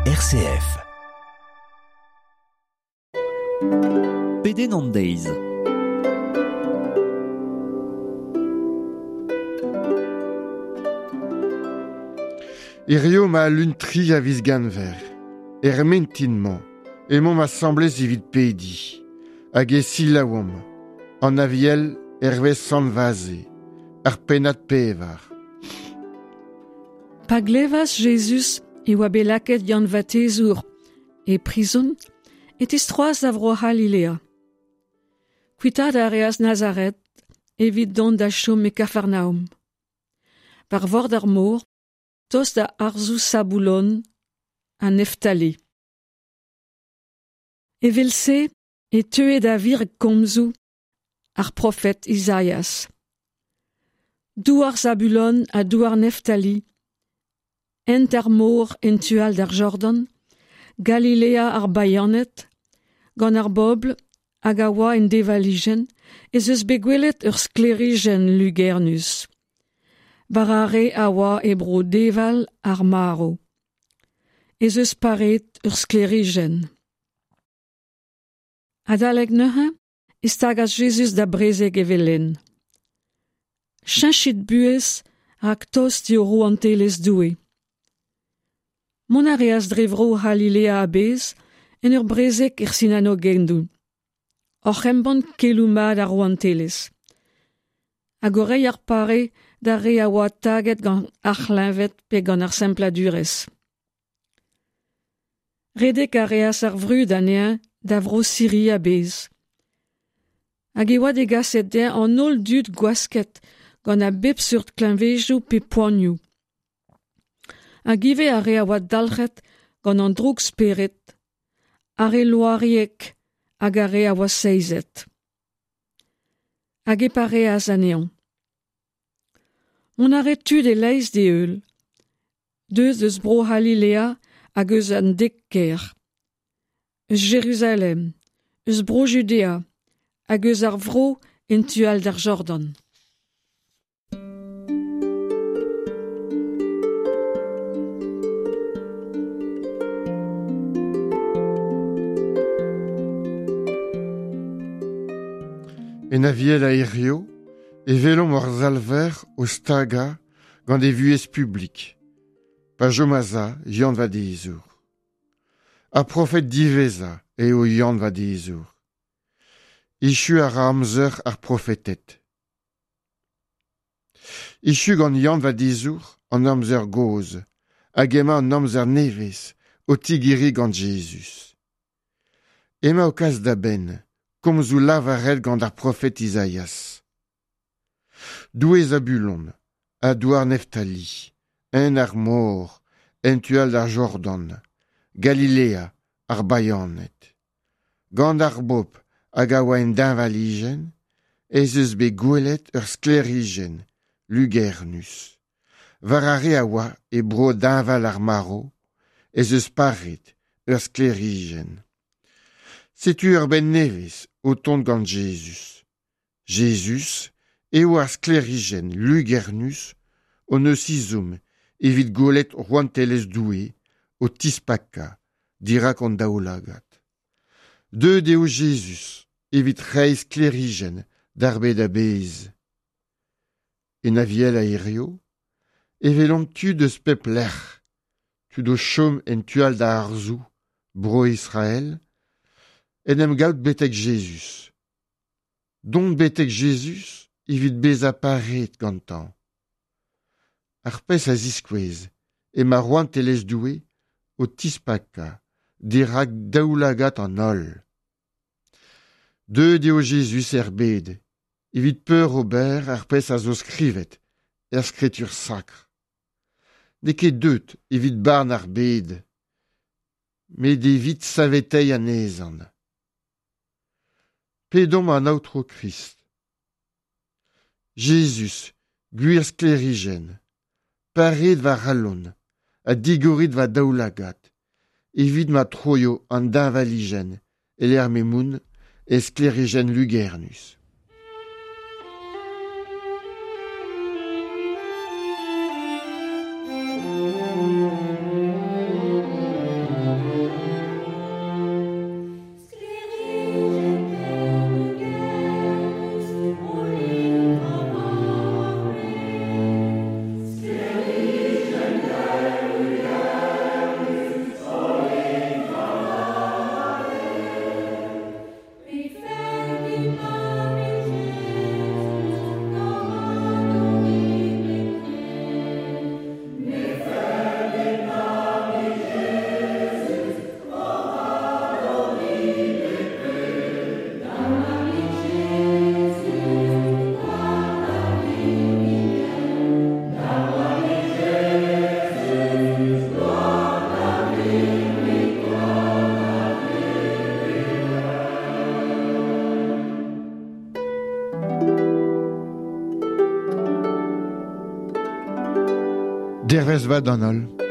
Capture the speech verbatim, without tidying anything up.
R C F. Pedenn an deiz. Hirio ma lun tri a viz ganver, er mentin-mañ, emaomp asambles evit pedi, hag e selaouomp, an aviel hervez Sant Vaze, ar pennad pevar. Pa glevas Jezuz e oa bet lakaet Yann Vadezour e prizon, e tistroas da vro C'halilea. Kuitaat a reas Nazaret evit dont da chom e Kafarnaoum. War vord ar mor, tost da arzoù Saboulon ha Neftali. Evel-se e teue da vir komzoù ar profet Izaias. Douar Zabulon ha douar Neftali, hent ar mor en tu all d'ar Jordan, Galilea ar Bayaned, gant ar bobl hag a oa en devalijenn, ez eus bet gwelet ur sklêrijenn lugernus. War ar re a oa e bro deval ar marv. Ez eus paret ur sklêrijenn. Adalek neuze e stagas Jezuz da brezeg evel-henn. Cheñchit buhez rak tost eo rouantelezh Doue. Mont a reas dre vro C'halilea a-bezh en ur brezeg er sinagogennoù. Oc'h embann keloù mat ar rouantelezh. Hag o reiñ ar pare d'ar re a oa taget gant ar c'hleñved pe gant ar sempladurezh. Redek a reas ar vrud anezhañ da vro Siri a-bezh. Hag e oa degaset dezhañ an holl dud gwasket gant a bep seurt kleñvedoù pe poanioù. Hag ivez ar re a oa dalc'het gant an droug-spered, ar re loariek hag ar re a oa seizet. Hag e pareas anezhañ. Mont a rae tud e-leizh d'e heul, deus eus bro C'halilea hag eus an dek kêr, eus Jeruzalem, eus bro Judea hag eus ar vro en tu all d'ar Jordan. En aviel a hirio, e welomp hor Salver o stagañ gant e vuhez publik, pa chomas Yann Vadezour. Ar profed diwezhañ eo Yann Vadezour. Echu a ra amzer ar profeted. Echu gant Yann Vadezour an amzer gozh, hag emañ an amzer nevez o tigeriñ gant Jezuz. Emañ o kas da benn, komzoù lavaret gant ar profed Izaias. Doue Zabulon, ha douar Neftali, en ar mor, en tu all d'ar Jordan, Galilea, ar Bayaned. Gant ar bobl hag a oa en deñvalijenn, ez eus bet gwelet ur sklêrijenn lugernus. War ar re a oa e bro deñval ar marv, ez eus paret ur sklêrijenn. Setu ur bed nevez o tont gant Jezuz. Jezuz eo ar sklêrijenn lugernus hon eus ezhomm evit gwelet rouantelezh Doue o tispakañ dirak hon daoulagad. Deuet eo Jezuz evit reiñ sklêrijenn d'ar bed a-bezh. En aviel a hirio, e welomp tud eus pep lec'h, tud o chom en tu all da arzoù, bro Israël, en em gaout betek Jezuz. Dont betek Jezuz evit bezañ pareet gantañ. Ar pezh a ziskouez emañ rouantelezh Doue o tispakañ dirak daoulagad an holl. Deuet eo Jezuz er bed, evit peur ober ar pezh a zo skrivet er skritur sakr. N'eo ket deuet evit barn ar bed, met evit saveteiñ anezhañ. Pedomp an Aotrou Krist. Jezuz, gwir sklêrijenn, pareet va c'halon ha digorit va daoulagad, evit ma troio an deñvalijenn e-lec'h m'emaon e sklêrijenn lugernus. Nozvezh vat d'an holl.